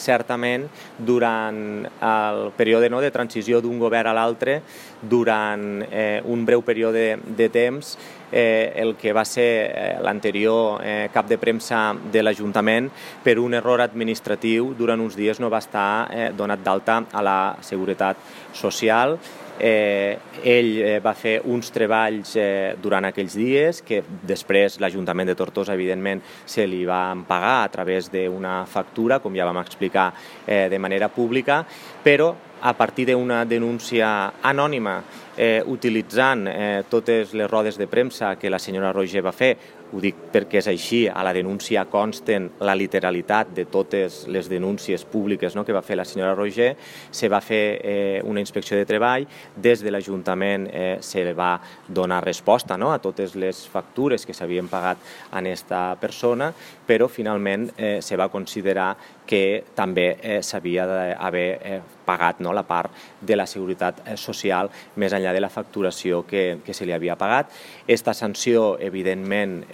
Certament, durant el període de transició d'un govern a l'altre, durant un breu període de temps, el que va ser l'anterior cap de premsa de l'Ajuntament, per un error administratiu, durant uns dies no va estar donat d'alta a la Seguretat Social. Ell va fer uns treballs durant aquells dies que després l'Ajuntament de Tortosa, evidentment, se li va pagar a través d'una factura, com ja vam explicar de manera pública, però a partir d'una denúncia anònima utilitzant totes les rodes de premsa que la senyora Roigé va fer. Ho dic perquè és així, a la denúncia consten la literalitat de totes les denúncies públiques que va fer la senyora Roigé. Se va fer una inspecció de treball, des de l'Ajuntament se va donar resposta a totes les factures que s'havien pagat a aquesta persona, però finalment se va considerar que també s'havia d'haver pagat la part de la Seguretat Social més enllà de la facturació que se li havia pagat. Aquesta sanció, evidentment,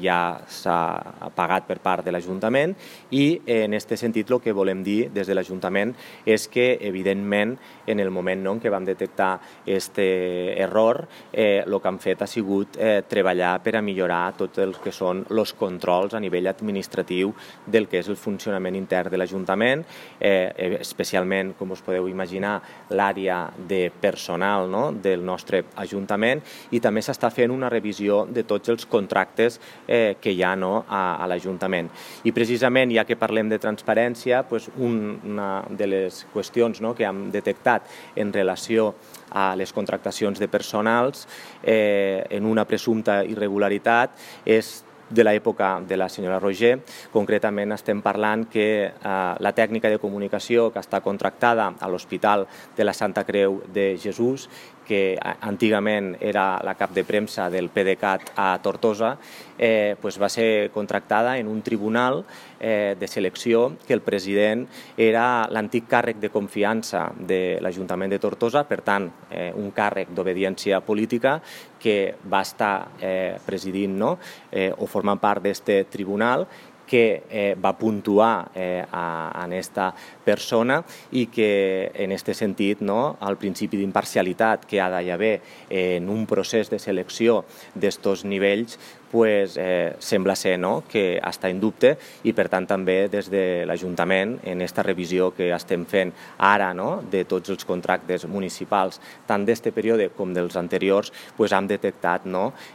ja s'ha pagat per part de l'Ajuntament i en aquest sentit el que volem dir des de l'Ajuntament és que, evidentment, en el moment en què vam detectar aquest error, el que han fet ha sigut treballar per a millorar tot el que són els controls a nivell administratiu del que és el funcionament intern de l'Ajuntament, especialment, com us podeu imaginar, l'àrea de personal del nostre Ajuntament, i també s'està fent una revisió de tots els contractes que hi ha a l'Ajuntament. I precisament, ja que parlem de transparència, una de les qüestions que hem detectat en relació a les contractacions de personals en una presumpta irregularitat és de l'època de la senyora Roigé. Concretament estem parlant que la tècnica de comunicació que està contractada a l'Hospital de la Santa Creu de Jesús, que antigament era la cap de premsa del PDeCAT a Tortosa, va ser contractada en un tribunal de selecció que el president era l'antic càrrec de confiança de l'Ajuntament de Tortosa, per tant, un càrrec d'obediència política que va estar presidint o formant part d'aquest tribunal, que va puntuar a aquesta persona i que en aquest sentit el principi d'imparcialitat que ha d'haver en un procés de selecció d'aquests nivells sembla ser que està en dubte, i per tant també des de l'Ajuntament, en aquesta revisió que estem fent ara de tots els contractes municipals, tant d'aquest període com dels anteriors, hem detectat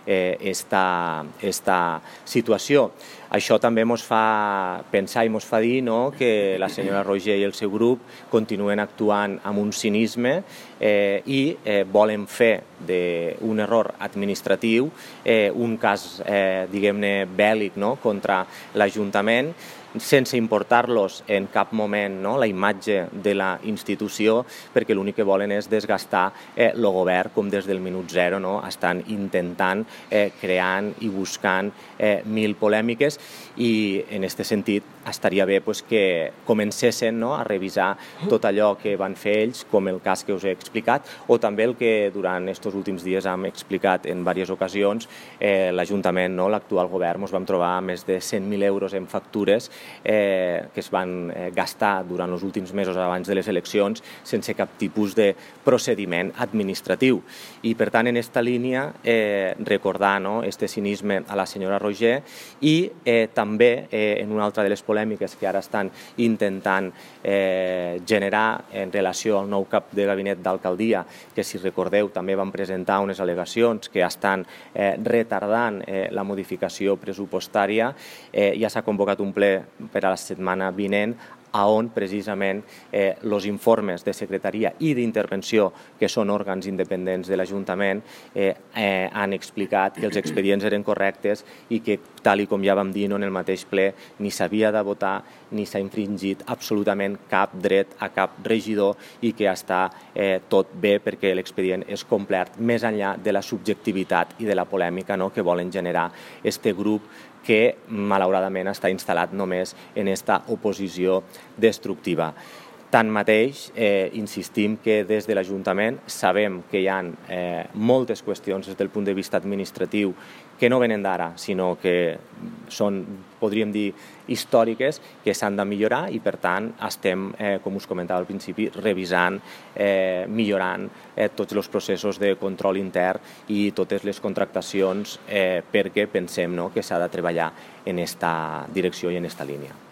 aquesta situació. Això també ens fa pensar i ens fa dir que la senyora Roigé i el seu grup continuen actuant amb un cinisme i volen fer d'un error administratiu un cas, diguem-ne, bèl·lic contra l'Ajuntament, sense importar-los en cap moment la imatge de la institució, perquè l'únic que volen és desgastar el govern, com des del minut zero estan intentant, creant i buscant mil polèmiques, i en aquest sentit estaria bé que comencessin a revisar tot allò que van fer ells, com el cas que us he explicat, o també el que durant aquests últims dies hem explicat en diverses ocasions. L'Ajuntament, l'actual govern, ens vam trobar més de 100.000 euros en factures que es van gastar durant els últims mesos abans de les eleccions sense cap tipus de procediment administratiu. I, per tant, en aquesta línia, recordar aquest cinisme a la senyora Roigé i també en una altra de les polèmiques que ara estan intentant generar en relació al nou cap de gabinet d'alcaldia, que, si recordeu, també van presentar unes al·legacions que estan retardant la modificació pressupostària. Ja s'ha convocat un ple per a la setmana vinent, on precisament els informes de secretaria i d'intervenció, que són òrgans independents de l'Ajuntament, han explicat que els expedients eren correctes i que, tal com ja vam dir en el mateix ple, ni s'havia de votar ni s'ha infringit absolutament cap dret a cap regidor i que està tot bé perquè l'expedient és complet, més enllà de la subjectivitat i de la polèmica que volen generar aquest grup que malauradament està instal·lat només en aquesta oposició destructiva. Tanmateix, insistim que des de l'Ajuntament sabem que hi ha moltes qüestions des del punt de vista administratiu que no venen d'ara, sinó que són podríem dir, històriques que s'han de millorar i, per tant, estem, com us comentava al principi, revisant, millorant tots els processos de control intern i totes les contractacions perquè pensem que s'ha de treballar en aquesta direcció i en aquesta línia.